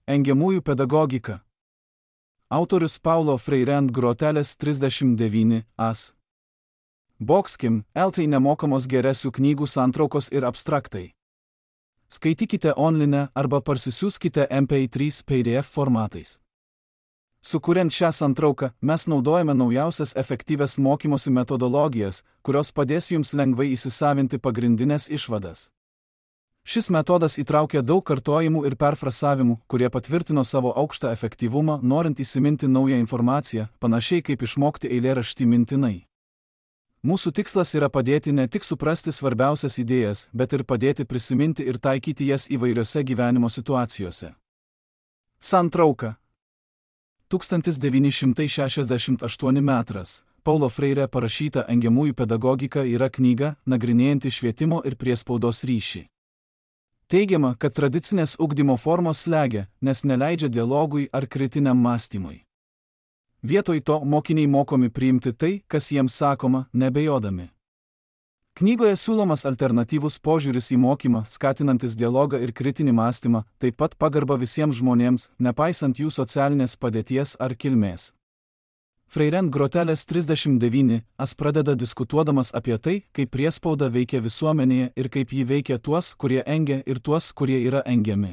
Engiamųjų pedagogika. Autorius Paulo Freire ant grotelės 39 as. Boxkim, LT nemokamos geresių knygų santraukos ir abstraktai. Skaitykite online arba parsisiųskite MP3 PDF formatais. Sukuriant šią santrauką, mes naudojame naujausias efektyvias mokymosi metodologijas, kurios padės jums lengvai įsisavinti pagrindinės išvadas. Šis metodas įtraukia daug kartojimų ir perfrasavimų, kurie patvirtino savo aukštą efektyvumą, norint įsiminti naują informaciją, panašiai kaip išmokti eilėraštį mintinai. Mūsų tikslas yra padėti ne tik suprasti svarbiausias idėjas, bet ir padėti prisiminti ir taikyti jas įvairiose gyvenimo situacijose. Santrauka. 1968 metras. Paulo Freire parašyta Engiamųjų pedagogika yra knyga, nagrinėjanti švietimo ir priespaudos ryšį. Teigiama, kad tradicinės ugdymo formos slegia, nes neleidžia dialogui ar kritiniam mąstymui. Vietoj to mokiniai mokomi priimti tai, kas jiems sakoma, nebejodami. Knygoje siūlomas alternatyvus požiūris į mokymą, skatinantis dialogą ir kritinį mąstymą, taip pat pagarba visiems žmonėms, nepaisant jų socialinės padėties ar kilmės. Freire ant grotelės 39 as pradeda diskutuodamas apie tai, kaip priespauda veikia visuomenėje ir kaip ji veikia tuos, kurie engia ir tuos, kurie yra engiami.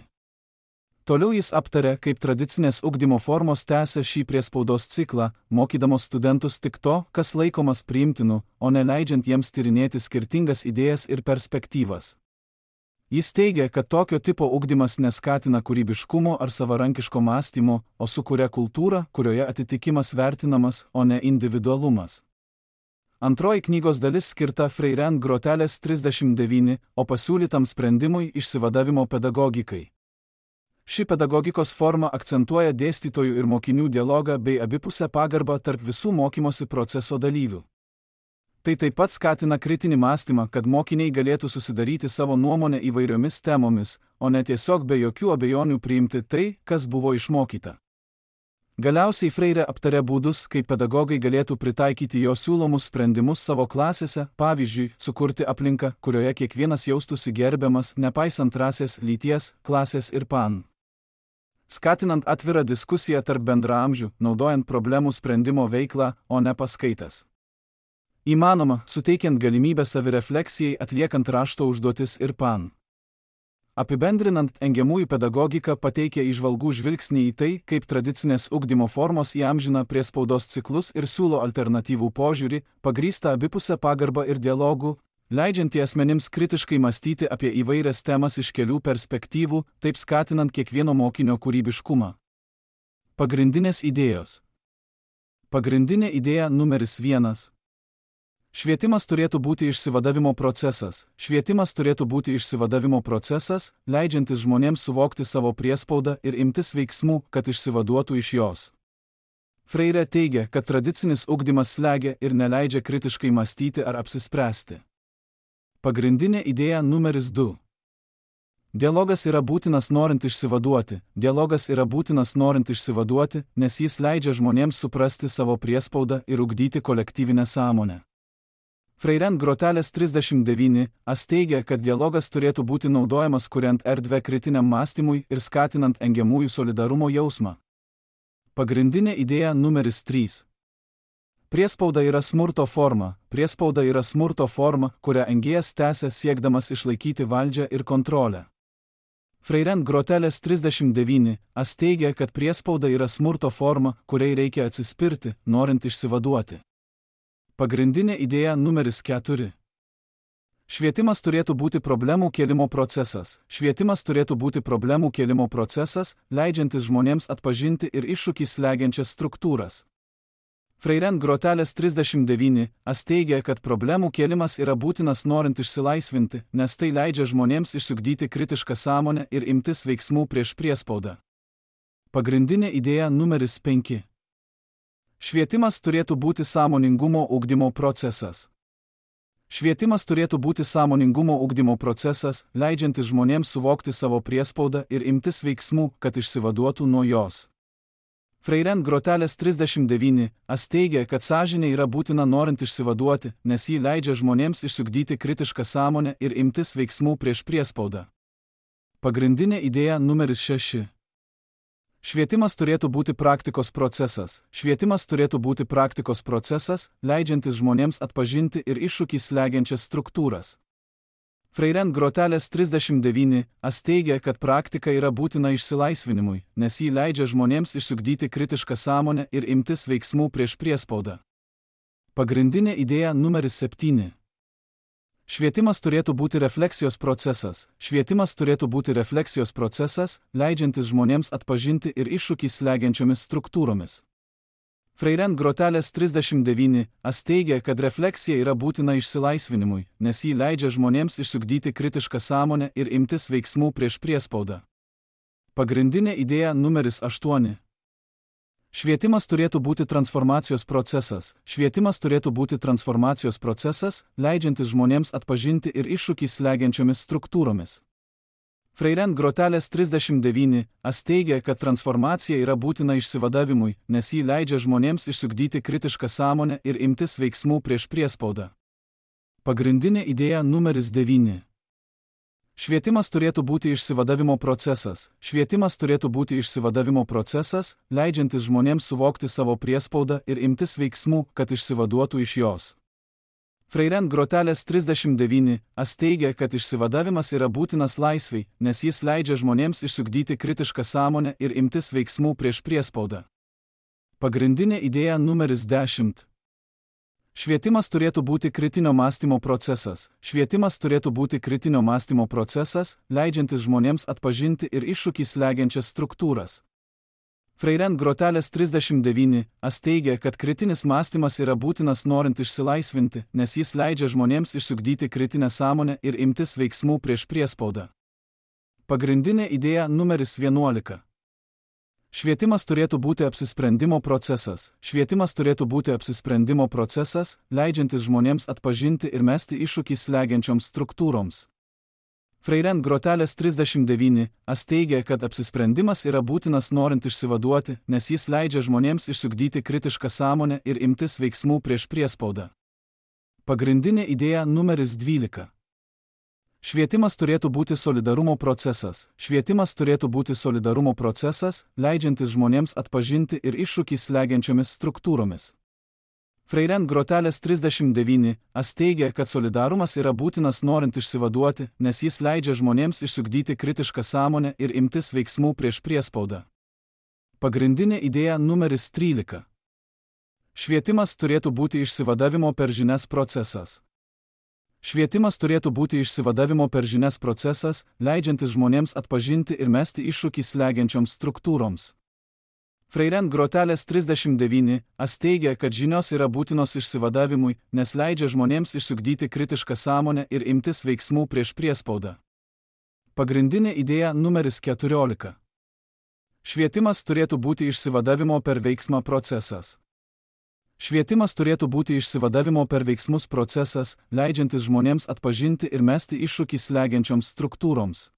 Toliau jis aptarė, kaip tradicinės ugdymo formos tęsia šį priespaudos ciklą, mokydamos studentus tik to, kas laikomas priimtinu, o neleidžiant jiems tyrinėti skirtingas idėjas ir perspektyvas. Jis teigia, kad tokio tipo ugdymas neskatina kūrybiškumo ar savarankiško mąstymo, o sukuria kultūrą, kurioje atitikimas vertinamas, o ne individualumas. Antroji knygos dalis skirta Freire ant grotelės 39, o pasiūlytam sprendimui išsivadavimo pedagogikai. Ši pedagogikos forma akcentuoja dėstytojų ir mokinių dialogą bei abipusę pagarbą tarp visų mokymosi proceso dalyvių. Tai taip pat skatina kritinį mąstymą, kad mokiniai galėtų susidaryti savo nuomonę įvairiomis temomis, o ne tiesiog be jokių abejonių priimti tai, kas buvo išmokyta. Galiausiai Freire aptarė būdus, kaip pedagogai galėtų pritaikyti jo siūlomus sprendimus savo klasėse, pavyzdžiui, sukurti aplinką, kurioje kiekvienas jaustųsi gerbiamas, nepaisant rasės, lyties, klasės ir pan. Skatinant atvirą diskusiją tarp bendraamžių, naudojant problemų sprendimo veiklą, o ne paskaitas. Įmanoma, suteikiant galimybę savirefleksijai, atliekant rašto užduotis ir pan. Apibendrinant, engiamųjų pedagogika pateikia įžvalgų žvilgsnį į tai, kaip tradicinės ugdymo formos įamžina priespaudos ciklus ir siūlo alternatyvų požiūrį, pagrįstą abipusę pagarbą ir dialogų, leidžiantį asmenims kritiškai mąstyti apie įvairias temas iš kelių perspektyvų, taip skatinant kiekvieno mokinio kūrybiškumą. Pagrindinės idėjos. Pagrindinė idėja numeris 1. Švietimas turėtų būti išsivadavimo procesas. Švietimas turėtų būti išsivadavimo procesas, leidžiantis žmonėms suvokti savo priespaudą ir imtis veiksmų, kad išsivaduotų iš jos. Freire teigia, kad tradicinis ugdymas slegia ir neleidžia kritiškai mąstyti ar apsispręsti. Pagrindinė idėja numeris 2. Dialogas yra būtinas norint išsivaduoti. Dialogas yra būtinas norint išsivaduoti, nes jis leidžia žmonėms suprasti savo priespaudą ir ugdyti kolektyvinę sąmonę. Freire ant grotelės 39 as teigia, kad dialogas turėtų būti naudojamas kuriant erdvę kritiniam mąstymui ir skatinant engiamųjų solidarumo jausmą. Pagrindinė idėja numeris 3. Priespauda yra smurto forma. Priespauda yra smurto forma, kurią engėjas tęsia siekdamas išlaikyti valdžią ir kontrolę. Freire ant grotelės 39 as teigia, kad priespauda yra smurto forma, kuriai reikia atsispirti, norint išsivaduoti. Pagrindinė idėja numeris 4. Švietimas turėtų būti problemų kėlimo procesas. Švietimas turėtų būti problemų kėlimo procesas, leidžiantis žmonėms atpažinti ir iššūkį slegiančias struktūras. Freire ant grotelės 39 as teigia, kad problemų kėlimas yra būtinas norint išsilaisvinti, nes tai leidžia žmonėms išsiugdyti kritišką sąmonę ir imtis veiksmų prieš priespaudą. Pagrindinė idėja numeris 5. Švietimas turėtų būti sąmoningumo ugdymo procesas. Švietimas turėtų būti sąmoningumo ugdymo procesas, leidžiantis žmonėms suvokti savo priespaudą ir imtis veiksmų, kad išsivaduotų nuo jos. Freire ant grotelės 39 as teigia, kad sąžinė yra būtina norint išsivaduoti, nes ji leidžia žmonėms išsiugdyti kritišką sąmonę ir imtis veiksmų prieš priespaudą. Pagrindinė idėja numeris 6. Švietimas turėtų būti praktikos procesas. Švietimas turėtų būti praktikos procesas, leidžiantis žmonėms atpažinti ir iššūkį slegiančias struktūras. Freirent Grotelės 39 teigia, kad praktika yra būtina išsilaisvinimui, nes jį leidžia žmonėms išsiugdyti kritišką sąmonę ir imtis veiksmų prieš priespaudą. Pagrindinė idėja numeris 7. Švietimas turėtų būti refleksijos procesas. Švietimas turėtų būti refleksijos procesas, leidžiantis žmonėms atpažinti ir iššūkį slegiančiomis struktūromis. Freirent Grotelės 39 teigia, kad refleksija yra būtina išsilaisvinimui, nes jį leidžia žmonėms išsiugdyti kritišką sąmonę ir imtis veiksmų prieš priespaudą. Pagrindinė idėja numeris 8. Švietimas turėtų būti transformacijos procesas. Švietimas turėtų būti transformacijos procesas, leidžiantis žmonėms atpažinti ir iššūkį slegiančiomis struktūromis. Freirent Grotelės 39 teigia, kad transformacija yra būtina išsivadavimui, nes jį leidžia žmonėms išsiugdyti kritišką sąmonę ir imtis veiksmų prieš priespaudą. Pagrindinė idėja numeris 9. Švietimas turėtų būti išsivadavimo procesas. Švietimas turėtų būti išsivadavimo procesas, leidžiantis žmonėms suvokti savo priespaudą ir imtis veiksmų, kad išsivaduotų iš jos. Freirent Grotelės 39 teigia, kad išsivadavimas yra būtinas laisvei, nes jis leidžia žmonėms išsiugdyti kritišką sąmonę ir imtis veiksmų prieš priespaudą. Pagrindinė idėja numeris 10. Švietimas turėtų būti kritinio mąstymo procesas. Švietimas turėtų būti kritinio mąstymo procesas, leidžiantis žmonėms atpažinti ir iššūkį slegiančias struktūras. Freirent Grotelės 39 teigia, kad kritinis mąstymas yra būtinas norint išsilaisvinti, nes jis leidžia žmonėms išsiugdyti kritinę sąmonę ir imtis veiksmų prieš priespaudą. Pagrindinė idėja numeris 11. Švietimas turėtų būti apsisprendimo procesas. Švietimas turėtų būti apsisprendimo procesas, leidžiantis žmonėms atpažinti ir mesti iššūkį slegiančioms struktūroms. Freirent Grotelės 39 teigia, kad apsisprendimas yra būtinas norint išsivaduoti, nes jis leidžia žmonėms išsiugdyti kritišką sąmonę ir imtis veiksmų prieš priespaudą. Pagrindinė idėja numeris 12. Švietimas turėtų būti solidarumo procesas. Švietimas turėtų būti solidarumo procesas, leidžiantis žmonėms atpažinti ir iššūkį slegiančiomis struktūromis. Freirent Grotelės 39 teigia, kad solidarumas yra būtinas norint išsivaduoti, nes jis leidžia žmonėms išsiugdyti kritišką sąmonę ir imtis veiksmų prieš priespaudą. Pagrindinė idėja numeris 13. Švietimas turėtų būti išsivadavimo per žinias procesas. Švietimas turėtų būti išsivadavimo per žinias procesas, leidžiantis žmonėms atpažinti ir mesti iššūkį slegiančioms struktūroms. Freirent Grotelės 39 teigia, kad žinios yra būtinos išsivadavimui, nes leidžia žmonėms išsiugdyti kritišką sąmonę ir imtis veiksmų prieš priespaudą. Pagrindinė idėja numeris 14. Švietimas turėtų būti išsivadavimo per veiksmą procesas. Švietimas turėtų būti išsivadavimo per veiksmus procesas, leidžiantis žmonėms atpažinti ir mesti iššūkį slegiančioms struktūroms.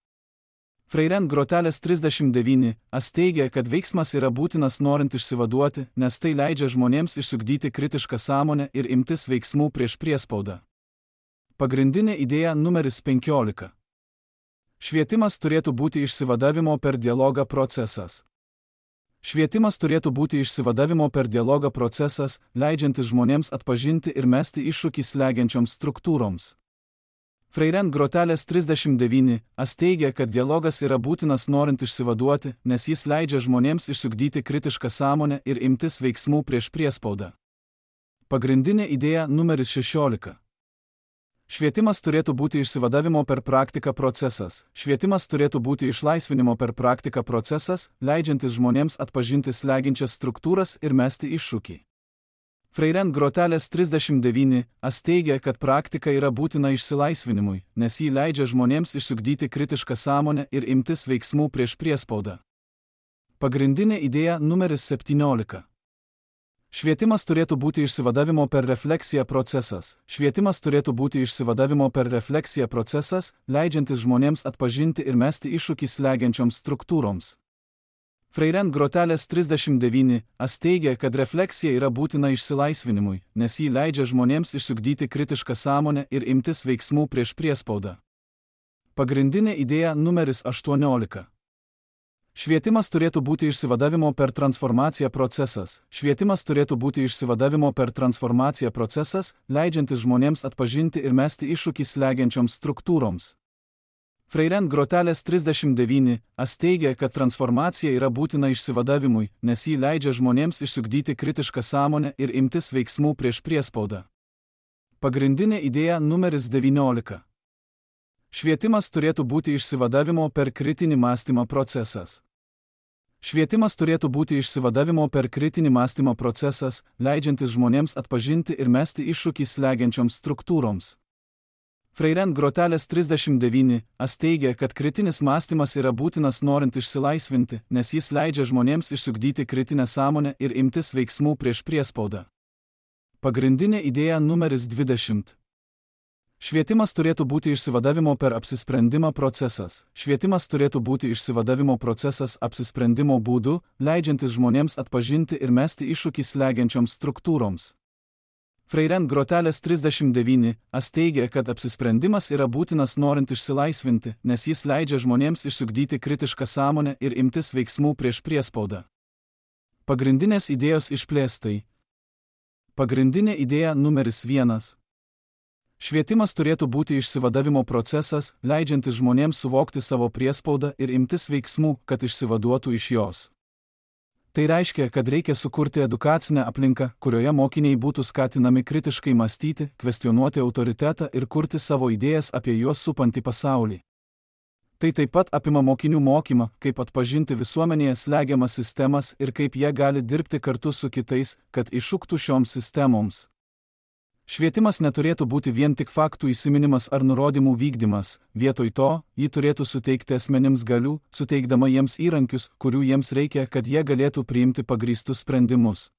Freirent Grotelės 39 teigia, kad veiksmas yra būtinas norint išsivaduoti, nes tai leidžia žmonėms išsiugdyti kritišką sąmonę ir imtis veiksmų prieš priespaudą. Pagrindinė idėja numeris 15. Švietimas turėtų būti išsivadavimo per dialogą procesas. Švietimas turėtų būti išsivadavimo per dialogą procesas, leidžiantis žmonėms atpažinti ir mesti iššūkį slegiančioms struktūroms. Freirent Grotelės 39 teigia, kad dialogas yra būtinas norint išsivaduoti, nes jis leidžia žmonėms išsiugdyti kritišką sąmonę ir imtis veiksmų prieš priespaudą. Pagrindinė idėja numeris 16. Švietimas turėtų būti išsivadavimo per praktiką procesas. Švietimas turėtų būti išlaisvinimo per praktiką procesas, leidžiantis žmonėms atpažinti slegiančias struktūras ir mesti iššūkį. Freirent Grotelės 39 teigia, kad praktika yra būtina išsilaisvinimui, nes jį leidžia žmonėms išsiugdyti kritišką sąmonę ir imtis veiksmų prieš priespaudą. Pagrindinė idėja numeris 17. Švietimas turėtų būti išsivadavimo per refleksiją procesas. Švietimas turėtų būti išsivadavimo per refleksiją procesas, leidžiantis žmonėms atpažinti ir mesti iššūkį slegiančioms struktūroms. Freirent Grotelės 39 teigia, kad refleksija yra būtina išsilaisvinimui, nes jį leidžia žmonėms išsiugdyti kritišką sąmonę ir imtis veiksmų prieš priespaudą. Pagrindinė idėja numeris 18. Švietimas turėtų būti išsivadavimo per transformaciją procesas. Švietimas turėtų būti išsivadavimo per transformaciją procesas, leidžiantis žmonėms atpažinti ir mesti iššūkį slegiančioms struktūroms. Freire Grotelės 39 teigia, kad transformacija yra būtina išsivadavimui, nes ji leidžia žmonėms išsiugdyti kritišką sąmonę ir imtis veiksmų prieš priespaudą. Pagrindinė idėja numeris 19. Švietimas turėtų būti išsivadavimo per kritinį mąstymą procesas. Švietimas turėtų būti išsivadavimo per kritinį mąstymą procesas, leidžiantis žmonėms atpažinti ir mesti iššūkį slegiančioms struktūroms. Freire Grotelės 39 teigia, kad kritinis mąstymas yra būtinas norint išsilaisvinti, nes jis leidžia žmonėms išsiugdyti kritinę sąmonę ir imtis veiksmų prieš priespaudą. Pagrindinė idėja numeris 20. Švietimas turėtų būti išsivadavimo per apsisprendimą procesas. Švietimas turėtų būti išsivadavimo procesas apsisprendimo būdu, leidžiantis žmonėms atpažinti ir mesti iššūkį slegiančioms struktūroms. Freire Grotelės 39 teigia, kad apsisprendimas yra būtinas norint išsilaisvinti, nes jis leidžia žmonėms išsiugdyti kritišką sąmonę ir imtis veiksmų prieš priespaudą. Pagrindinės idėjos išplėstai. Pagrindinė idėja numeris 1. Švietimas turėtų būti išsivadavimo procesas, leidžiantis žmonėms suvokti savo priespaudą ir imtis veiksmų, kad išsivaduotų iš jos. Tai reiškia, kad reikia sukurti edukacinę aplinką, kurioje mokiniai būtų skatinami kritiškai mąstyti, kvestionuoti autoritetą ir kurti savo idėjas apie juos supantį pasaulį. Tai taip pat apima mokinių mokymą, kaip atpažinti visuomenėje slegiamas sistemas ir kaip jie gali dirbti kartu su kitais, kad iššūktų šioms sistemoms. Švietimas neturėtų būti vien tik faktų įsiminimas ar nurodymų vykdymas, vietoj to, jį turėtų suteikti asmenims galių, suteikdama jiems įrankius, kurių jiems reikia, kad jie galėtų priimti pagrįstus sprendimus.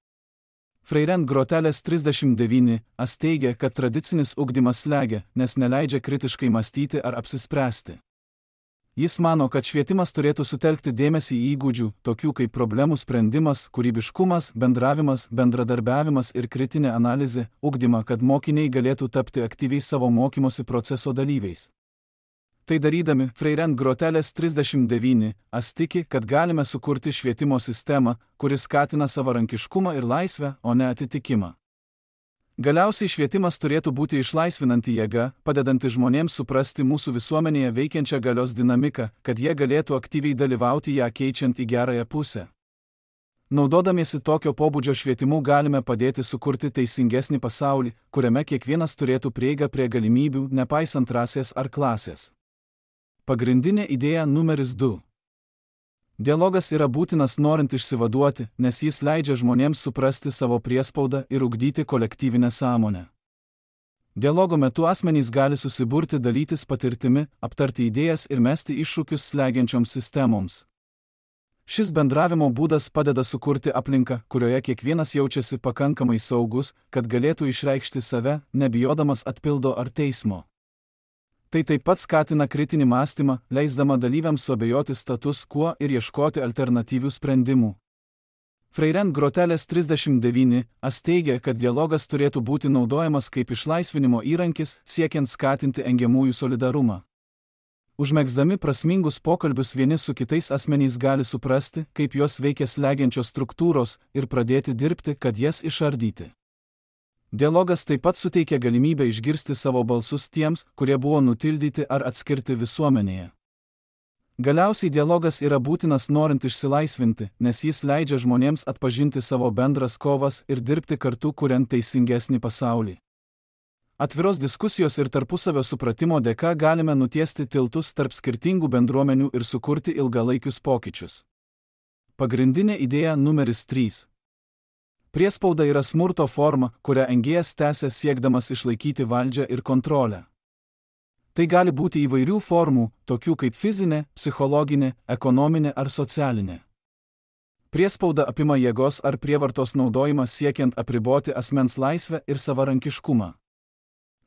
Freire Grotelės 39 teigia, kad tradicinis ugdymas slegia, nes neleidžia kritiškai mąstyti ar apsispręsti. Jis mano, kad švietimas turėtų sutelkti dėmesį į įgūdžių, tokių kaip problemų sprendimas, kūrybiškumas, bendravimas, bendradarbiavimas ir kritinė analizė, ugdymą, kad mokiniai galėtų tapti aktyviais savo mokymosi proceso dalyviais. Tai darydami, Freire Grotelės 39 tiki, kad galime sukurti švietimo sistemą, kuri skatina savarankiškumą ir laisvę, o ne atitikimą. Galiausiai švietimas turėtų būti išlaisvinanti jėga, padedanti žmonėms suprasti mūsų visuomenėje veikiančią galios dinamiką, kad jie galėtų aktyviai dalyvauti ją keičiant į gerąją pusę. Naudodamiesi tokio pobūdžio švietimu galime padėti sukurti teisingesnį pasaulį, kuriame kiekvienas turėtų prieigą prie galimybių, nepaisant rasės ar klasės. Pagrindinė idėja numeris 2. Dialogas yra būtinas norint išsivaduoti, nes jis leidžia žmonėms suprasti savo priespaudą ir ugdyti kolektyvinę sąmonę. Dialogo metu asmenys gali susiburti, dalytis patirtimi, aptarti idėjas ir mesti iššūkius slegiančioms sistemoms. Šis bendravimo būdas padeda sukurti aplinką, kurioje kiekvienas jaučiasi pakankamai saugus, kad galėtų išreikšti save, nebijodamas atpildo ar teismo. Tai taip pat skatina kritinį mąstymą, leisdama dalyviams suabejoti status quo ir ieškoti alternatyvių sprendimų. Freire Grotelės 39 teigia, kad dialogas turėtų būti naudojamas kaip išlaisvinimo įrankis, siekiant skatinti engiamųjų solidarumą. Užmegzdami prasmingus pokalbius vieni su kitais asmenys gali suprasti, kaip juos veikia slegiančios struktūros ir pradėti dirbti, kad jas išardyti. Dialogas taip pat suteikia galimybę išgirsti savo balsus tiems, kurie buvo nutildyti ar atskirti visuomenėje. Galiausiai dialogas yra būtinas norint išsilaisvinti, nes jis leidžia žmonėms atpažinti savo bendras kovas ir dirbti kartu, kuriant teisingesnį pasaulį. Atviros diskusijos ir tarpusavio supratimo dėka galime nutiesti tiltus tarp skirtingų bendruomenių ir sukurti ilgalaikius pokyčius. Pagrindinė idėja numeris 3. Priespauda yra smurto forma, kurią engėjas tęsia siekdamas išlaikyti valdžią ir kontrolę. Tai gali būti įvairių formų, tokių kaip fizinė, psichologinė, ekonominė ar socialinė. Priespauda apima jėgos ar prievartos naudojimą siekiant apriboti asmens laisvę ir savarankiškumą.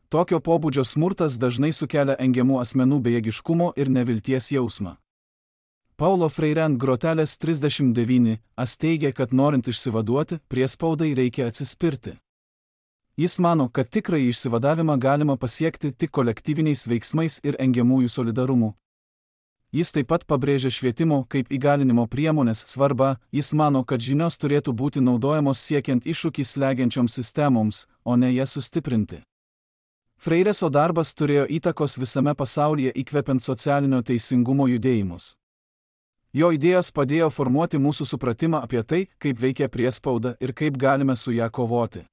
Tokio pobūdžio smurtas dažnai sukelia engiamų asmenų bejėgiškumo ir nevilties jausmą. Paulo Freire Grotelės 39 teigia, kad norint išsivaduoti, priespaudai reikia atsispirti. Jis mano, kad tikrąjį išsivadavimą galima pasiekti tik kolektyviniais veiksmais ir engiamųjų solidarumu. Jis taip pat pabrėžia švietimo kaip įgalinimo priemonės svarbą, jis mano, kad žinios turėtų būti naudojamos siekiant iššūkį slegiančioms sistemoms, o ne jas sustiprinti. Freireso darbas turėjo įtakos visame pasaulyje įkvepiant socialinio teisingumo judėjimus. Jo idėjos padėjo formuoti mūsų supratimą apie tai, kaip veikia priespauda ir kaip galime su ją kovoti.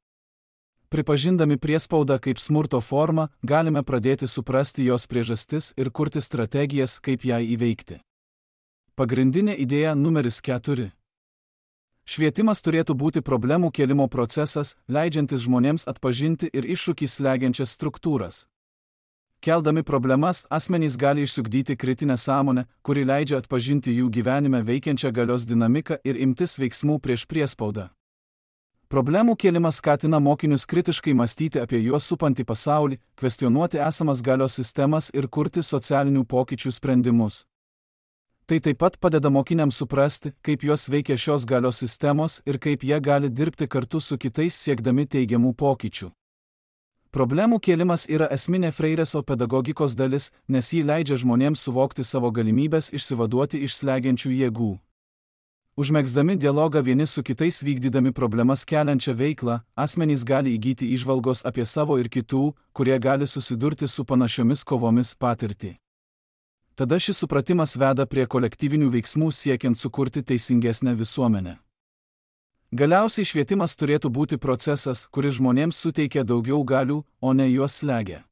Pripažindami priespaudą kaip smurto formą, galime pradėti suprasti jos priežastis ir kurti strategijas, kaip ją įveikti. Pagrindinė idėja numeris 4. Švietimas turėtų būti problemų kėlimo procesas, leidžiantis žmonėms atpažinti ir iššūkį slegiančias struktūras. Keldami problemas, asmenys gali išsiugdyti kritinę sąmonę, kuri leidžia atpažinti jų gyvenime veikiančią galios dinamiką ir imtis veiksmų prieš priespaudą. Problemų kėlimas skatina mokinius kritiškai mąstyti apie juos supantį pasaulį, kvestionuoti esamas galios sistemas ir kurti socialinių pokyčių sprendimus. Tai taip pat padeda mokiniams suprasti, kaip juos veikia šios galios sistemos ir kaip jie gali dirbti kartu su kitais siekdami teigiamų pokyčių. Problemų kėlimas yra esminė Freireso pedagogikos dalis, nes ji leidžia žmonėms suvokti savo galimybės išsivaduoti iš slegiančių jėgų. Užmegzdami dialogą vieni su kitais vykdydami problemas keliančią veiklą, asmenys gali įgyti įžvalgos apie savo ir kitų, kurie gali susidurti su panašiomis kovomis patirtį. Tada šis supratimas veda prie kolektyvinių veiksmų siekiant sukurti teisingesnę visuomenę. Galiausiai švietimas turėtų būti procesas, kuris žmonėms suteikia daugiau galių, o ne juos slegia.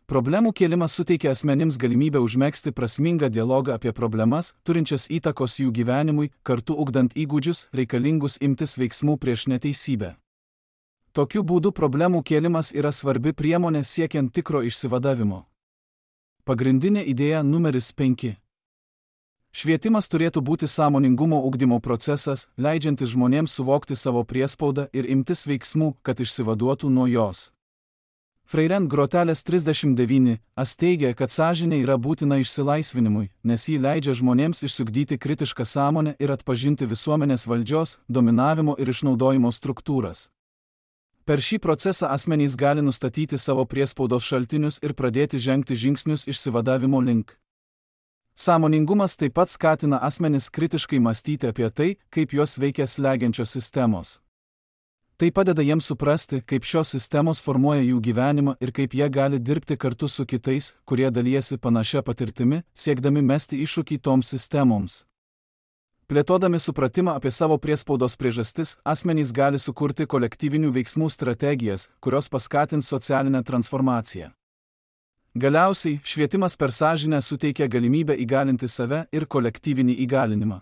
Problemų kėlimas suteikia asmenims galimybę užmegzti prasmingą dialogą apie problemas, turinčias įtakos jų gyvenimui, kartu ugdant įgūdžius, reikalingus imtis veiksmų prieš neteisybę. Tokiu būdu problemų kėlimas yra svarbi priemonė siekiant tikro išsivadavimo. Pagrindinė idėja numeris 5. Švietimas turėtų būti sąmoningumo ugdymo procesas, leidžiantis žmonėms suvokti savo priespaudą ir imtis veiksmų, kad išsivaduotų nuo jos. Freire Grotelės 39 teigia, kad sąžinė yra būtina išsilaisvinimui, nes ji leidžia žmonėms išsiugdyti kritišką sąmonę ir atpažinti visuomenės valdžios, dominavimo ir išnaudojimo struktūras. Per šį procesą asmenys gali nustatyti savo priespaudos šaltinius ir pradėti žengti žingsnius išsivadavimo link. Sąmoningumas taip pat skatina asmenis kritiškai mąstyti apie tai, kaip juos veikia slegiančios sistemos. Tai padeda jiems suprasti, kaip šios sistemos formuoja jų gyvenimą ir kaip jie gali dirbti kartu su kitais, kurie dalijasi panašia patirtimi, siekdami mesti iššūkį toms sistemoms. Plėtodami supratimą apie savo priespaudos priežastis, asmenys gali sukurti kolektyvinių veiksmų strategijas, kurios paskatins socialinę transformaciją. Galiausiai, švietimas per sąžinę suteikia galimybę įgalinti save ir kolektyvinį įgalinimą.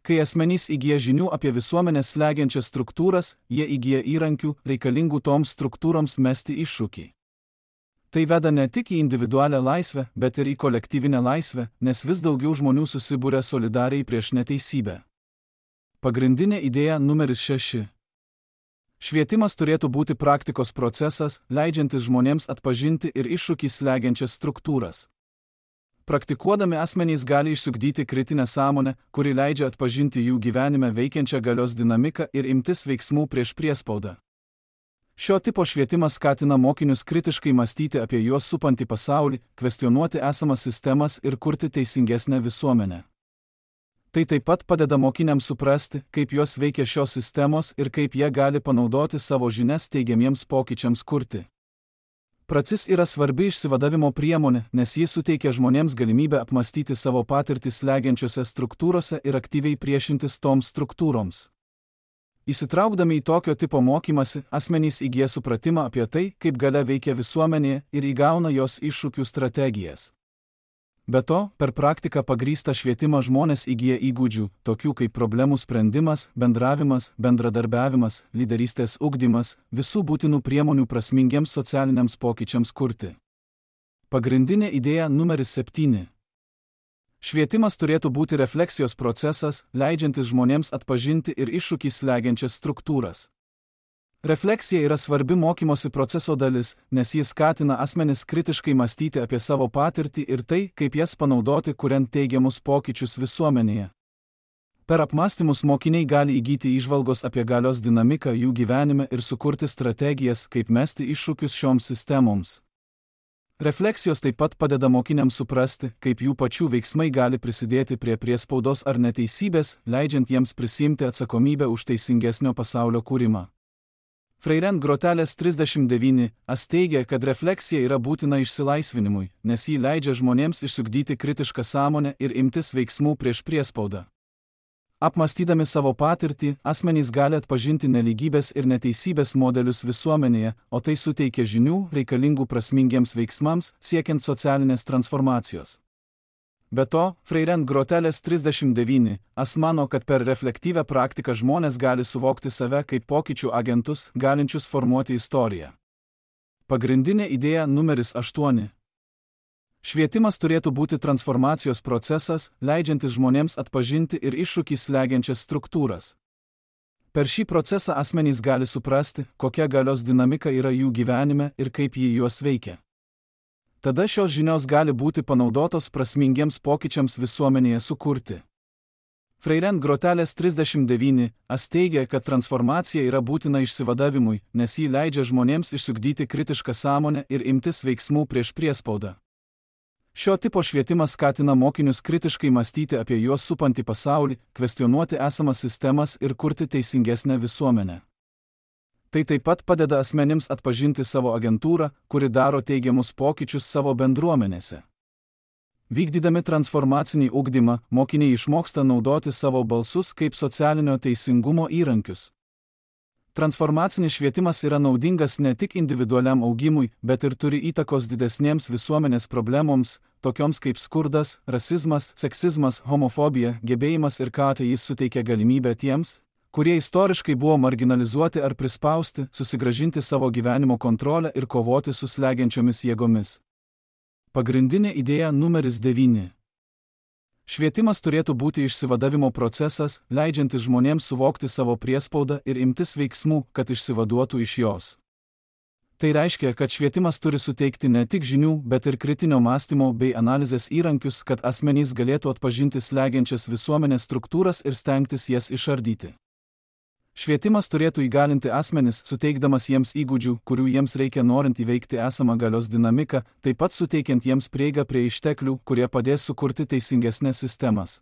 Kai asmenys įgyja žinių apie visuomenės slegiančias struktūras, jie įgyja įrankių, reikalingų toms struktūroms mesti iššūkį. Tai veda ne tik į individualią laisvę, bet ir į kolektyvinę laisvę, nes vis daugiau žmonių susibūrė solidariai prieš neteisybę. Pagrindinė idėja numeris 6. Švietimas turėtų būti praktikos procesas, leidžiantis žmonėms atpažinti ir iššūkį slegiančias struktūras. Praktikuodami asmenys gali išsiugdyti kritinę sąmonę, kuri leidžia atpažinti jų gyvenime veikiančią galios dinamiką ir imtis veiksmų prieš priespaudą. Šio tipo švietimas skatina mokinius kritiškai mąstyti apie juos supantį pasaulį, kvestionuoti esamas sistemas ir kurti teisingesnę visuomenę. Tai taip pat padeda mokiniams suprasti, kaip juos veikia šios sistemos ir kaip jie gali panaudoti savo žinias teigiamiems pokyčiams kurti. Pracis yra svarbi išsivadavimo priemonė, nes ji suteikia žmonėms galimybę apmastyti savo patirtį slegiančiose struktūrose ir aktyviai priešintis toms struktūroms. Įsitraukdami į tokio tipo mokymasi, asmenys įgyja supratimą apie tai, kaip galia veikia visuomenėje ir įgauna jos iššūkių strategijas. Be to, per praktiką pagrįstą švietimą žmonės įgyja įgūdžių, tokių kaip problemų sprendimas, bendravimas, bendradarbiavimas, lyderystės ugdymas, visų būtinų priemonių prasmingiems socialiniams pokyčiams kurti. Pagrindinė idėja numeris 7. Švietimas turėtų būti refleksijos procesas, leidžiantis žmonėms atpažinti ir iššūkį slegiančias struktūras. Refleksija yra svarbi mokymosi proceso dalis, nes jis skatina asmenis kritiškai mąstyti apie savo patirtį ir tai, kaip jas panaudoti, kuriant teigiamus pokyčius visuomenėje. Per apmąstymus mokiniai gali įgyti įžvalgos apie galios dinamiką jų gyvenime ir sukurti strategijas, kaip mesti iššūkius šioms sistemoms. Refleksijos taip pat padeda mokiniams suprasti, kaip jų pačių veiksmai gali prisidėti prie priespaudos ar neteisybės, leidžiant jiems prisimti atsakomybę už teisingesnio pasaulio kūrimą. Freire Groteles 39 teigia, kad refleksija yra būtina išsilaisvinimui, nes ji leidžia žmonėms išsiugdyti kritišką sąmonę ir imtis veiksmų prieš priespaudą. Apmąstydami savo patirtį, asmenys gali atpažinti nelygybės ir neteisybės modelius visuomenėje, o tai suteikia žinių reikalingų prasmingiems veiksmams, siekiant socialinės transformacijos. Be to, Freire Groteles 39 mano, kad per reflektyvią praktiką žmonės gali suvokti save kaip pokyčių agentus, galinčius formuoti istoriją. Pagrindinė idėja numeris 8. Švietimas turėtų būti transformacijos procesas, leidžiantis žmonėms atpažinti ir iššūkį slegiančias struktūras. Per šį procesą asmenys gali suprasti, kokia galios dinamika yra jų gyvenime ir kaip ji juos veikia. Tada šios žinios gali būti panaudotos prasmingiems pokyčiams visuomenėje sukurti. Freire Groteles 39 teigia, kad transformacija yra būtina išsivadavimui, nes ji leidžia žmonėms išsiugdyti kritišką sąmonę ir imtis veiksmų prieš priespaudą. Šio tipo švietimas skatina mokinius kritiškai mąstyti apie juos supantį pasaulį, kvestionuoti esamas sistemas ir kurti teisingesnę visuomenę. Tai taip pat padeda asmenims atpažinti savo agentūrą, kuri daro teigiamus pokyčius savo bendruomenėse. Vykdydami transformacinį ugdymą, mokiniai išmoksta naudoti savo balsus kaip socialinio teisingumo įrankius. Transformacinis švietimas yra naudingas ne tik individualiam augimui, bet ir turi įtakos didesnėms visuomenės problemoms, tokioms kaip skurdas, rasizmas, seksizmas, homofobija, gebėjimas ir ką tai jis suteikia galimybę tiems, kurie istoriškai buvo marginalizuoti ar prispausti, susigrąžinti savo gyvenimo kontrolę ir kovoti su slegiančiomis jėgomis. Pagrindinė idėja numeris 9. Švietimas turėtų būti išsivadavimo procesas, leidžiantis žmonėms suvokti savo priespaudą ir imtis veiksmų, kad išsivaduotų iš jos. Tai reiškia, kad švietimas turi suteikti ne tik žinių, bet ir kritinio mąstymo bei analizės įrankius, kad asmenys galėtų atpažinti slegiančias visuomenės struktūras ir stengtis jas išardyti. Švietimas turėtų įgalinti asmenis, suteikdamas jiems įgūdžių, kurių jiems reikia norint įveikti esamą galios dinamiką, taip pat suteikiant jiems prieigą prie išteklių, kurie padės sukurti teisingesnės sistemas.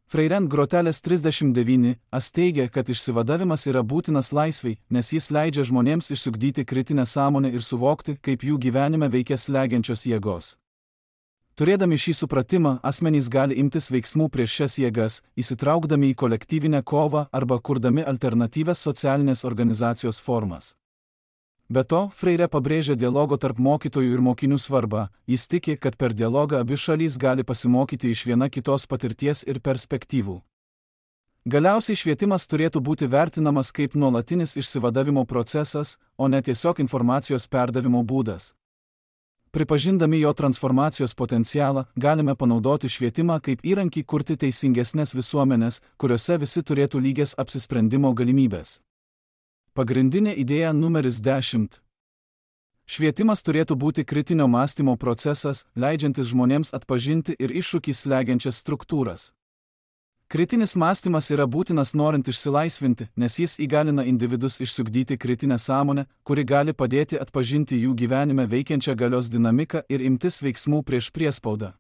Freire Groteles 39 teigia, kad išsivadavimas yra būtinas laisvei, nes jis leidžia žmonėms išsiugdyti kritinę sąmonę ir suvokti, kaip jų gyvenime veikia slegiančios jėgos. Turėdami šį supratimą, asmenys gali imtis veiksmų prieš šias jėgas, įsitraukdami į kolektyvinę kovą arba kurdami alternatyvias socialinės organizacijos formas. Be to, Freire pabrėžia dialogo tarp mokytojų ir mokinių svarbą, jis tiki, kad per dialogą abi šalys gali pasimokyti iš viena kitos patirties ir perspektyvų. Galiausiai švietimas turėtų būti vertinamas kaip nuolatinis išsivadavimo procesas, o ne tiesiog informacijos perdavimo būdas. Pripažindami jo transformacijos potencialą, galime panaudoti švietimą kaip įrankį kurti teisingesnės visuomenės, kuriuose visi turėtų lygias apsisprendimo galimybės. Pagrindinė idėja numeris 10. Švietimas turėtų būti kritinio mąstymo procesas, leidžiantis žmonėms atpažinti ir iššūkį slegiančias struktūras. Kritinis mąstymas yra būtinas norint išsilaisvinti, nes jis įgalina individus išsiugdyti kritinę sąmonę, kuri gali padėti atpažinti jų gyvenime veikiančią galios dinamiką ir imtis veiksmų prieš priespaudą.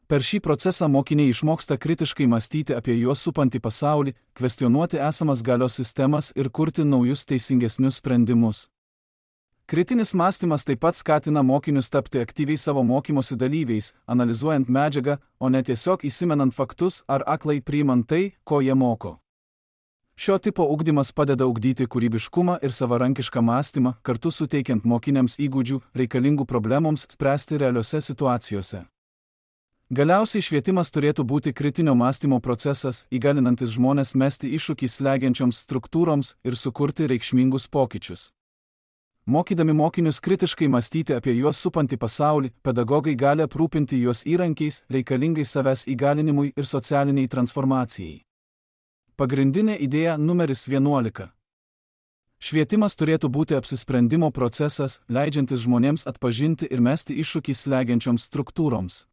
Per šį procesą mokiniai išmoksta kritiškai mąstyti apie juos supantį pasaulį, kvestionuoti esamas galios sistemas ir kurti naujus teisingesnius sprendimus. Kritinis mąstymas taip pat skatina mokinius tapti aktyviai savo mokymosi dalyviais, analizuojant medžiagą, o ne tiesiog įsimenant faktus ar aklai priimant tai, ko jie moko. Šio tipo ugdymas padeda ugdyti kūrybiškumą ir savarankišką mąstymą, kartu suteikiant mokiniams įgūdžių, reikalingų problemoms spręsti realiose situacijose. Galiausiai švietimas turėtų būti kritinio mąstymo procesas, įgalinantis žmones mesti iššūkį slegiančioms struktūroms ir sukurti reikšmingus pokyčius. Mokydami mokinius kritiškai mąstyti apie juos supantį pasaulį, pedagogai gali aprūpinti juos įrankiais, reikalingais savęs įgalinimui ir socialiniai transformacijai. Pagrindinė idėja numeris 11. Švietimas turėtų būti apsisprendimo procesas, leidžiantis žmonėms atpažinti ir mesti iššūkį slegiančioms struktūroms.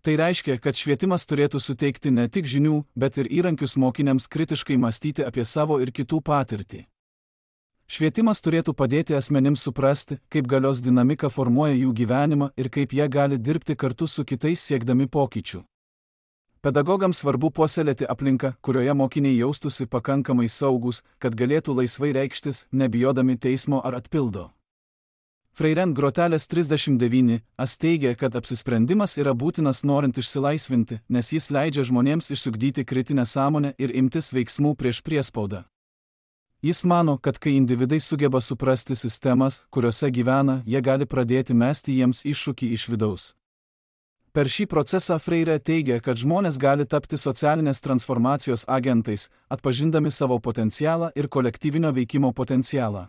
Tai reiškia, kad švietimas turėtų suteikti ne tik žinių, bet ir įrankius mokiniams kritiškai mąstyti apie savo ir kitų patirtį. Švietimas turėtų padėti asmenims suprasti, kaip galios dinamika formuoja jų gyvenimą ir kaip jie gali dirbti kartu su kitais siekdami pokyčių. Pedagogams svarbu puoselėti aplinką, kurioje mokiniai jaustųsi pakankamai saugūs, kad galėtų laisvai reikštis, nebijodami teismo ar atpildo. Freire Grotelės 39 teigia, kad apsisprendimas yra būtinas norint išsilaisvinti, nes jis leidžia žmonėms išsiugdyti kritinę sąmonę ir imtis veiksmų prieš priespaudą. Jis mano, kad kai individai sugeba suprasti sistemas, kuriuose gyvena, jie gali pradėti mesti jiems iššūkį iš vidaus. Per šį procesą Freire teigia, kad žmonės gali tapti socialinės transformacijos agentais, atpažindami savo potencialą ir kolektyvinio veikimo potencialą.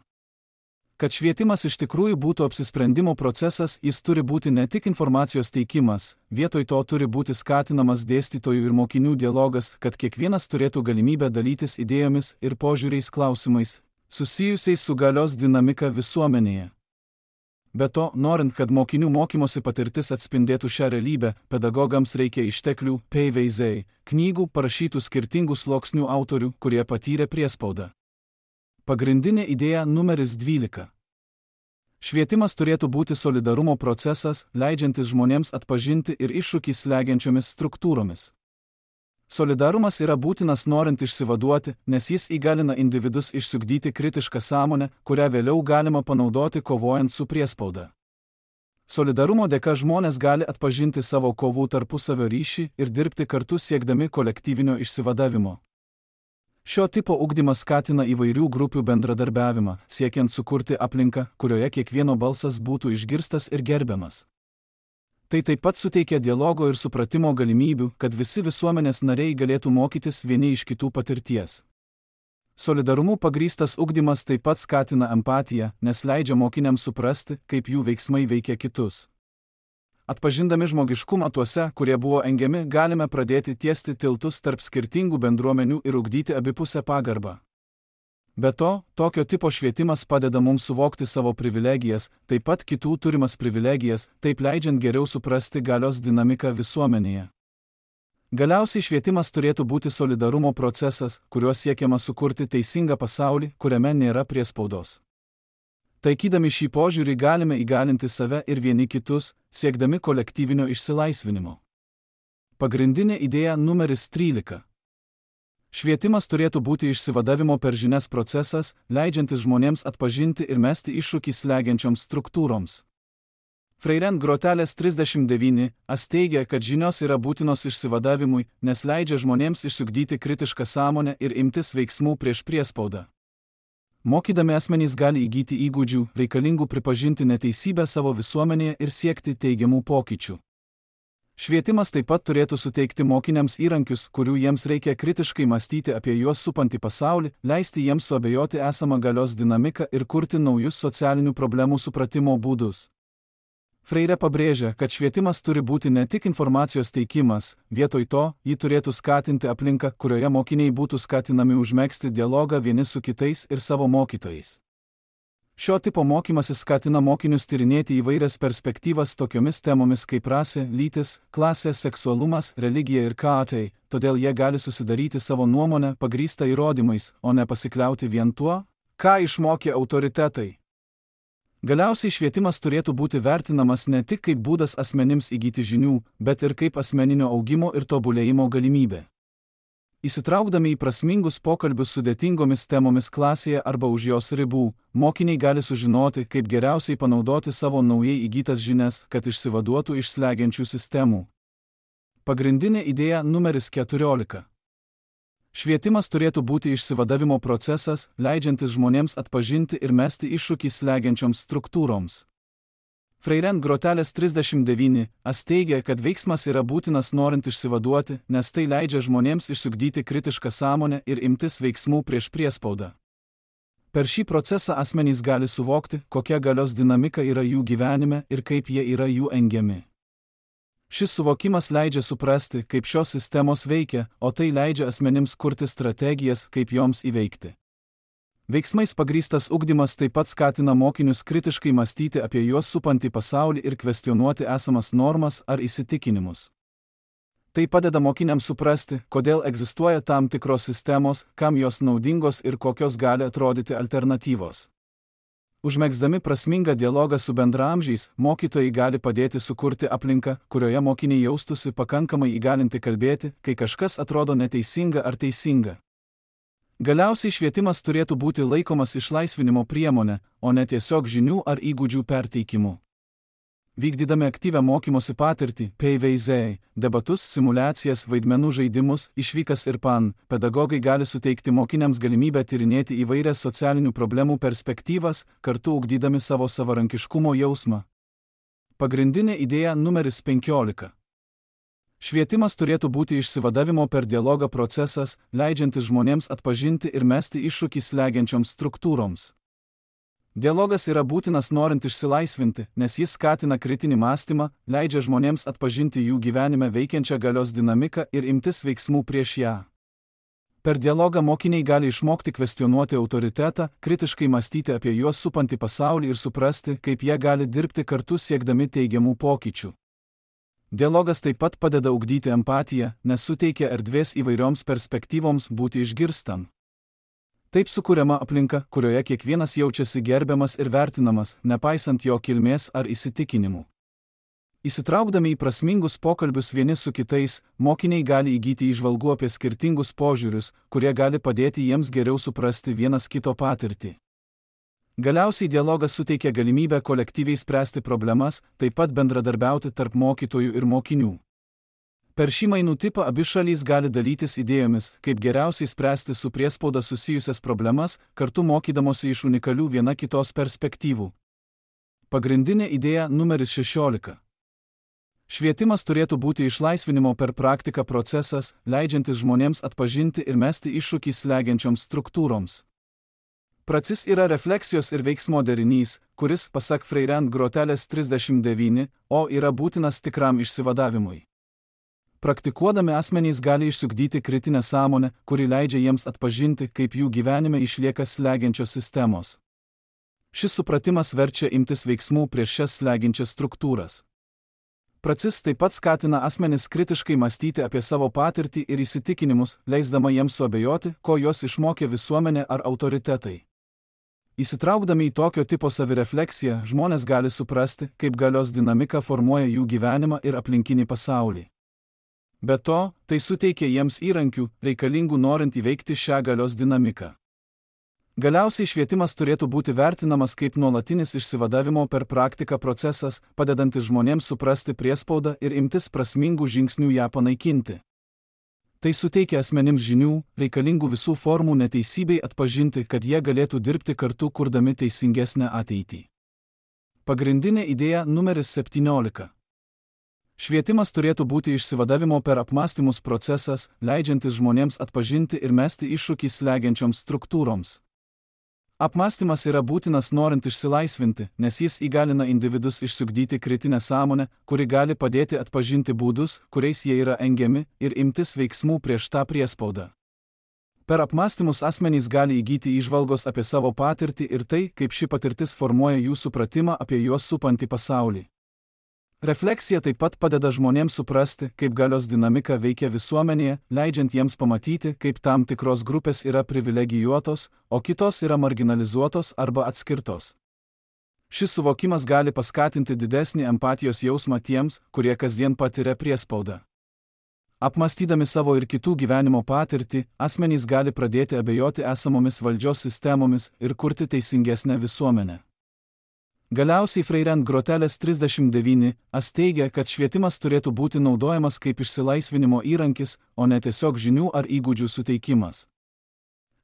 Kad švietimas iš tikrųjų būtų apsisprendimo procesas, jis turi būti ne tik informacijos teikimas, vietoj to turi būti skatinamas dėstytojų ir mokinių dialogas, kad kiekvienas turėtų galimybę dalytis idėjomis ir požiūriais klausimais, susijusiais su galios dinamika visuomenėje. Be to, norint, kad mokinių mokymosi patirtis atspindėtų šią realybę, pedagogams reikia išteklių, PVZ, knygų parašytų skirtingų sluoksnių autorių, kurie patyrė priespaudą. Pagrindinė idėja numeris 12. Švietimas turėtų būti solidarumo procesas, leidžiantis žmonėms atpažinti ir iššūkį slegiančiomis struktūromis. Solidarumas yra būtinas norint išsivaduoti, nes jis įgalina individus išsiugdyti kritišką sąmonę, kurią vėliau galima panaudoti kovojant su priespauda. Solidarumo dėka žmonės gali atpažinti savo kovų tarpusavio ryšį ir dirbti kartu siekdami kolektyvinio išsivadavimo. Šio tipo ugdymas skatina įvairių grupių bendradarbiavimą, siekiant sukurti aplinką, kurioje kiekvieno balsas būtų išgirstas ir gerbiamas. Tai taip pat suteikia dialogo ir supratimo galimybių, kad visi visuomenės nariai galėtų mokytis vieni iš kitų patirties. Solidarumu pagrįstas ugdymas taip pat skatina empatiją, nes leidžia mokiniams suprasti, kaip jų veiksmai veikia kitus. Atpažindami žmogiškumą tuose, kurie buvo engiami, galime pradėti tiesti tiltus tarp skirtingų bendruomenių ir ugdyti abipusę pagarbą. Be to, tokio tipo švietimas padeda mums suvokti savo privilegijas, taip pat kitų turimas privilegijas, taip leidžiant geriau suprasti galios dinamiką visuomenėje. Galiausiai švietimas turėtų būti solidarumo procesas, kuriuo siekiama sukurti teisingą pasaulį, kuriame nėra priespaudos. Taikydami šį požiūrį galime įgalinti save ir vieni kitus, siekdami kolektyvinio išsilaisvinimo. Pagrindinė idėja numeris 13. Švietimas turėtų būti išsivadavimo per žinias procesas, leidžiantis žmonėms atpažinti ir mesti iššūkį slegiančioms struktūroms. Freire Grotelės 39 teigia, kad žinios yra būtinos išsivadavimui, nes leidžia žmonėms išsiugdyti kritišką sąmonę ir imtis veiksmų prieš priespaudą. Mokydami asmenys gali įgyti įgūdžių, reikalingų pripažinti neteisybę savo visuomenėje ir siekti teigiamų pokyčių. Švietimas taip pat turėtų suteikti mokiniams įrankius, kurių jiems reikia kritiškai mąstyti apie juos supantį pasaulį, leisti jiems suabejoti esamą galios dinamiką ir kurti naujus socialinių problemų supratimo būdus. Freire pabrėžia, kad švietimas turi būti ne tik informacijos teikimas, vietoj to, jį turėtų skatinti aplinką, kurioje mokiniai būtų skatinami užmegzti dialogą vieni su kitais ir savo mokytojais. Šio tipo mokymasis skatina mokinius tyrinėti įvairias perspektyvas tokiomis temomis kaip rasė, lytis, klasė, seksualumas, religija ir ką, todėl jie gali susidaryti savo nuomonę pagrįstą įrodymais, o ne pasikliauti vien tuo, ką išmokė autoritetai. Galiausiai švietimas turėtų būti vertinamas ne tik kaip būdas asmenims įgyti žinių, bet ir kaip asmeninio augimo ir tobulėjimo galimybė. Įsitraukdami į prasmingus pokalbius sudėtingomis temomis klasėje arba už jos ribų, mokiniai gali sužinoti, kaip geriausiai panaudoti savo naujai įgytas žinias, kad išsivaduotų iš slegiančių sistemų. Pagrindinė idėja numeris 14. Švietimas turėtų būti išsivadavimo procesas, leidžiantis žmonėms atpažinti ir mesti iššūkį slegiančioms struktūroms. Freire Grotelės 39 teigia, kad veiksmas yra būtinas norint išsivaduoti, nes tai leidžia žmonėms išsiugdyti kritišką sąmonę ir imtis veiksmų prieš priespaudą. Per šį procesą asmenys gali suvokti, kokia galios dinamika yra jų gyvenime ir kaip jie yra jų engiami. Šis suvokimas leidžia suprasti, kaip šios sistemos veikia, o tai leidžia asmenims kurti strategijas, kaip joms įveikti. Veiksmais pagrįstas ugdymas taip pat skatina mokinius kritiškai mąstyti apie juos supantį pasaulį ir kvestionuoti esamas normas ar įsitikinimus. Tai padeda mokiniams suprasti, kodėl egzistuoja tam tikros sistemos, kam jos naudingos ir kokios gali atrodyti alternatyvos. Užmegzdami prasmingą dialogą su bendraamžiais, mokytojai gali padėti sukurti aplinką, kurioje mokiniai jaustųsi pakankamai įgalinti kalbėti, kai kažkas atrodo neteisinga ar teisinga. Galiausiai švietimas turėtų būti laikomas išlaisvinimo priemonė, o ne tiesiog žinių ar įgūdžių perteikimu. Vykdydami aktyvią mokymosi patirtį, PVZ, debatus, simulacijas, vaidmenų žaidimus, išvykas ir PAN, pedagogai gali suteikti mokiniams galimybę tyrinėti įvairias socialinių problemų perspektyvas, kartu ugdydami savo savarankiškumo jausmą. Pagrindinė idėja numeris 15. Švietimas turėtų būti išsivadavimo per dialogą procesas, leidžiantis žmonėms atpažinti ir mesti iššūkį slegiančioms struktūroms. Dialogas yra būtinas norint išsilaisvinti, nes jis skatina kritinį mąstymą, leidžia žmonėms atpažinti jų gyvenime veikiančią galios dinamiką ir imtis veiksmų prieš ją. Per dialogą mokiniai gali išmokti kvestionuoti autoritetą, kritiškai mąstyti apie juos supantį pasaulį ir suprasti, kaip jie gali dirbti kartu siekdami teigiamų pokyčių. Dialogas taip pat padeda ugdyti empatiją, nes suteikia erdvės įvairioms perspektyvoms būti išgirstam. Taip sukuriama aplinka, kurioje kiekvienas jaučiasi gerbiamas ir vertinamas, nepaisant jo kilmės ar įsitikinimų. Įsitraukdami į prasmingus pokalbius vieni su kitais, mokiniai gali įgyti įžvalgų apie skirtingus požiūrius, kurie gali padėti jiems geriau suprasti vienas kito patirtį. Galiausiai dialogas suteikia galimybę kolektyviai spręsti problemas, taip pat bendradarbiauti tarp mokytojų ir mokinių. Per šį mainų tipą abi šalys gali dalytis idėjomis, kaip geriausiai spręsti su priespauda susijusias problemas, kartu mokydamosi iš unikalių viena kitos perspektyvų. Pagrindinė idėja numeris 16. Švietimas turėtų būti išlaisvinimo per praktiką procesas, leidžiantis žmonėms atpažinti ir mesti iššūkį slegiančioms struktūroms. Pracis yra refleksijos ir veiksmo derinys, kuris, pasak Freirent Grotelės 39, yra būtinas tikram išsivadavimui. Praktikuodami asmenys gali išsiugdyti kritinę sąmonę, kuri leidžia jiems atpažinti, kaip jų gyvenime išlieka slegiančios sistemos. Šis supratimas verčia imtis veiksmų prieš šias slegiančias struktūras. Pracis taip pat skatina asmenis kritiškai mąstyti apie savo patirtį ir įsitikinimus, leisdama jiems suabejoti, ko juos išmokė visuomenė ar autoritetai. Įsitraukdami į tokio tipo savirefleksiją, žmonės gali suprasti, kaip galios dinamika formuoja jų gyvenimą ir aplinkinį pasaulį. Be to, tai suteikia jiems įrankių, reikalingų norint įveikti šią galios dinamiką. Galiausiai švietimas turėtų būti vertinamas kaip nuolatinis išsivadavimo per praktiką procesas, padedantis žmonėms suprasti priespaudą ir imtis prasmingų žingsnių ją panaikinti. Tai suteikia asmenims žinių, reikalingų visų formų neteisybei atpažinti, kad jie galėtų dirbti kartu kurdami teisingesnę ateitį. Pagrindinė idėja numeris 17. Švietimas turėtų būti išsivadavimo per apmąstymus procesas, leidžiantis žmonėms atpažinti ir mesti iššūkį slegiančioms struktūroms. Apmąstymas yra būtinas norint išsilaisvinti, nes jis įgalina individus išsiugdyti kritinę sąmonę, kuri gali padėti atpažinti būdus, kuriais jie yra engiami, ir imtis veiksmų prieš tą priespaudą. Per apmąstymus asmenys gali įgyti įžvalgos apie savo patirtį ir tai, kaip ši patirtis formuoja jų supratimą apie juos supantį pasaulį. Refleksija taip pat padeda žmonėms suprasti, kaip galios dinamika veikia visuomenėje, leidžiant jiems pamatyti, kaip tam tikros grupės yra privilegijuotos, o kitos yra marginalizuotos arba atskirtos. Šis suvokimas gali paskatinti didesnį empatijos jausmą tiems, kurie kasdien patiria priespaudą. Apmąstydami savo ir kitų gyvenimo patirtį, asmenys gali pradėti abejoti esamomis valdžios sistemomis ir kurti teisingesnę visuomenę. Galiausiai Freirent Grotelės 39 teigia, kad švietimas turėtų būti naudojamas kaip išsilaisvinimo įrankis, o ne tiesiog žinių ar įgūdžių suteikimas.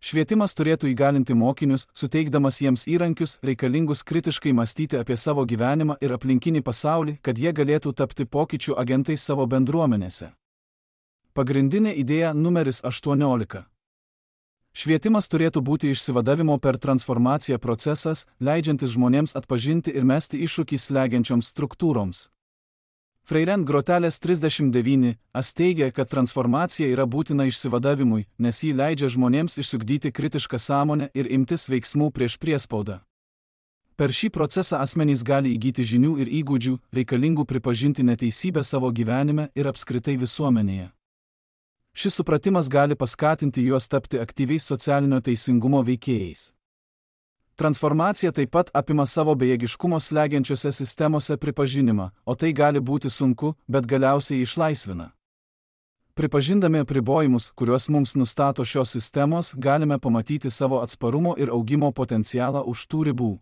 Švietimas turėtų įgalinti mokinius, suteikdamas jiems įrankius, reikalingus kritiškai mąstyti apie savo gyvenimą ir aplinkinį pasaulį, kad jie galėtų tapti pokyčių agentais savo bendruomenėse. Pagrindinė idėja numeris 18. Švietimas turėtų būti išsivadavimo per transformaciją procesas, leidžiantis žmonėms atpažinti ir mesti iššūkį slegiančioms struktūroms. Freirent Grotelės 39 teigia, kad transformacija yra būtina išsivadavimui, nes jį leidžia žmonėms išsiugdyti kritišką sąmonę ir imtis veiksmų prieš priespaudą. Per šį procesą asmenys gali įgyti žinių ir įgūdžių, reikalingų pripažinti neteisybę savo gyvenime ir apskritai visuomenėje. Šis supratimas gali paskatinti juos tapti aktyviais socialinio teisingumo veikėjais. Transformacija taip pat apima savo bejėgiškumo slegiančiose sistemose pripažinimą, o tai gali būti sunku, bet galiausiai išlaisvina. Pripažindami apribojimus, kuriuos mums nustato šios sistemos, galime pamatyti savo atsparumo ir augimo potencialą už tų ribų.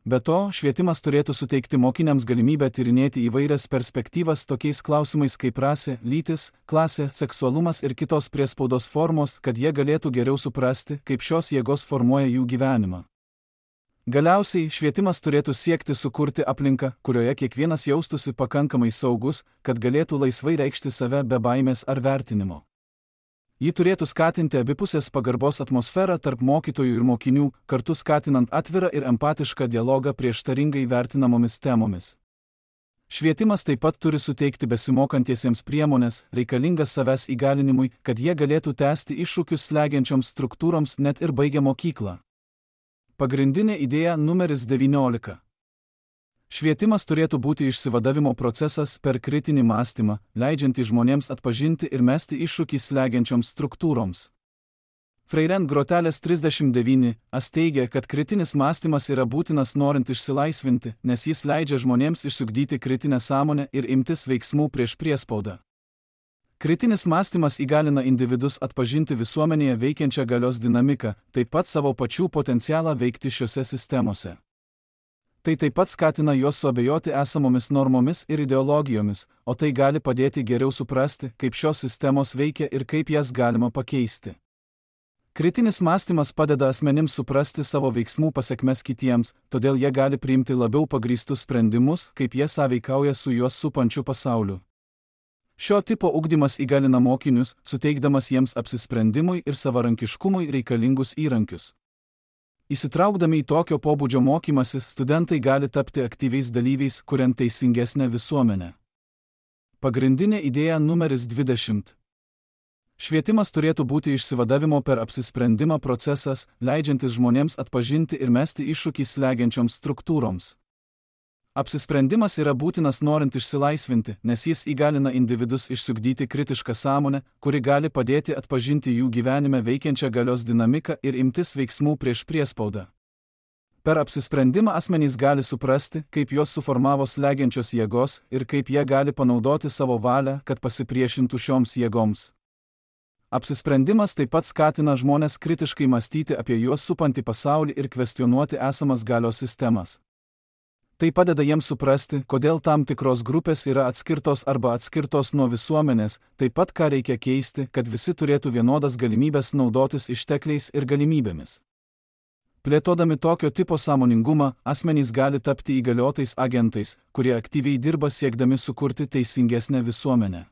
Be to, švietimas turėtų suteikti mokiniams galimybę tyrinėti įvairias perspektyvas tokiais klausimais kaip rasė, lytis, klasė, seksualumas ir kitos priespaudos formos, kad jie galėtų geriau suprasti, kaip šios jėgos formuoja jų gyvenimą. Galiausiai, švietimas turėtų siekti sukurti aplinką, kurioje kiekvienas jaustųsi pakankamai saugus, kad galėtų laisvai reikšti save be baimės ar vertinimo. Ji turėtų skatinti abipusės pagarbos atmosferą tarp mokytojų ir mokinių, kartu skatinant atvirą ir empatišką dialogą prieštaringai vertinamomis temomis. Švietimas taip pat turi suteikti besimokantiesiems priemonės, reikalingas savęs įgalinimui, kad jie galėtų tęsti iššūkius slegiančioms struktūroms net ir baigę mokyklą. Pagrindinė idėja numeris 19. Švietimas turėtų būti išsivadavimo procesas per kritinį mąstymą, leidžiantį žmonėms atpažinti ir mesti iššūkį slegiančioms struktūroms. Freirent grotelės 39 teigia, kad kritinis mąstymas yra būtinas norint išsilaisvinti, nes jis leidžia žmonėms išsiugdyti kritinę sąmonę ir imtis veiksmų prieš priespaudą. Kritinis mąstymas įgalina individus atpažinti visuomenėje veikiančią galios dinamiką, taip pat savo pačių potencialą veikti šiose sistemose. Tai taip pat skatina juos suabejoti esamomis normomis ir ideologijomis, o tai gali padėti geriau suprasti, kaip šios sistemos veikia ir kaip jas galima pakeisti. Kritinis mąstymas padeda asmenims suprasti savo veiksmų pasekmes kitiems, todėl jie gali priimti labiau pagrįstus sprendimus, kaip jie sąveikauja su juos supančiu pasauliu. Šio tipo ugdymas įgalina mokinius, suteikdamas jiems apsisprendimui ir savarankiškumui reikalingus įrankius. Įsitraukdami į tokio pobūdžio mokymąsi, studentai gali tapti aktyviais dalyviais, kuriant teisingesnę visuomenę. Pagrindinė idėja numeris 20. Švietimas turėtų būti išsivadavimo per apsisprendimą procesas, leidžiantis žmonėms atpažinti ir mesti iššūkį slegiančioms struktūroms. Apsisprendimas yra būtinas norint išsilaisvinti, nes jis įgalina individus išsiugdyti kritišką sąmonę, kuri gali padėti atpažinti jų gyvenime veikiančią galios dinamiką ir imtis veiksmų prieš priespaudą. Per apsisprendimą asmenys gali suprasti, kaip juos suformavo slegiančios jėgos ir kaip jie gali panaudoti savo valią, kad pasipriešintų šioms jėgoms. Apsisprendimas taip pat skatina žmones kritiškai mąstyti apie juos supantį pasaulį ir kvestionuoti esamas galios sistemas. Tai padeda jiems suprasti, kodėl tam tikros grupės yra atskirtos arba atskirtos nuo visuomenės, taip pat ką reikia keisti, kad visi turėtų vienodas galimybės naudotis ištekliais ir galimybėmis. Plėtodami tokio tipo sąmoningumą, asmenys gali tapti įgaliotais agentais, kurie aktyviai dirba siekdami sukurti teisingesnę visuomenę.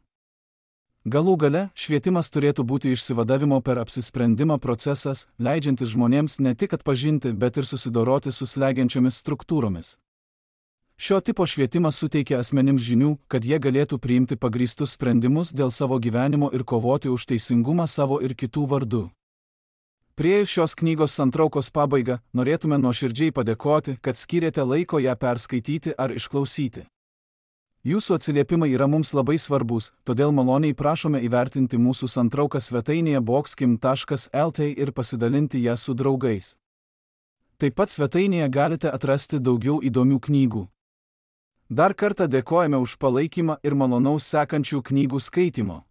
Galų gale, švietimas turėtų būti išsivadavimo per apsisprendimą procesas, leidžiantis žmonėms ne tik atpažinti, bet ir susidoroti su slegiančiomis struktūromis. Šio tipo švietimas suteikia asmenims žinių, kad jie galėtų priimti pagrįstus sprendimus dėl savo gyvenimo ir kovoti už teisingumą savo ir kitų vardu. Priėjus šios knygos santraukos pabaigą, norėtume nuoširdžiai padėkoti, kad skyrėte laiko ją perskaityti ar išklausyti. Jūsų atsiliepimai yra mums labai svarbus, todėl maloniai prašome įvertinti mūsų santrauką svetainėje boxkim.lt ir pasidalinti ją su draugais. Taip pat svetainėje galite atrasti daugiau įdomių knygų. Dar kartą dėkojame už palaikymą ir malonaus sekančių knygų skaitimo.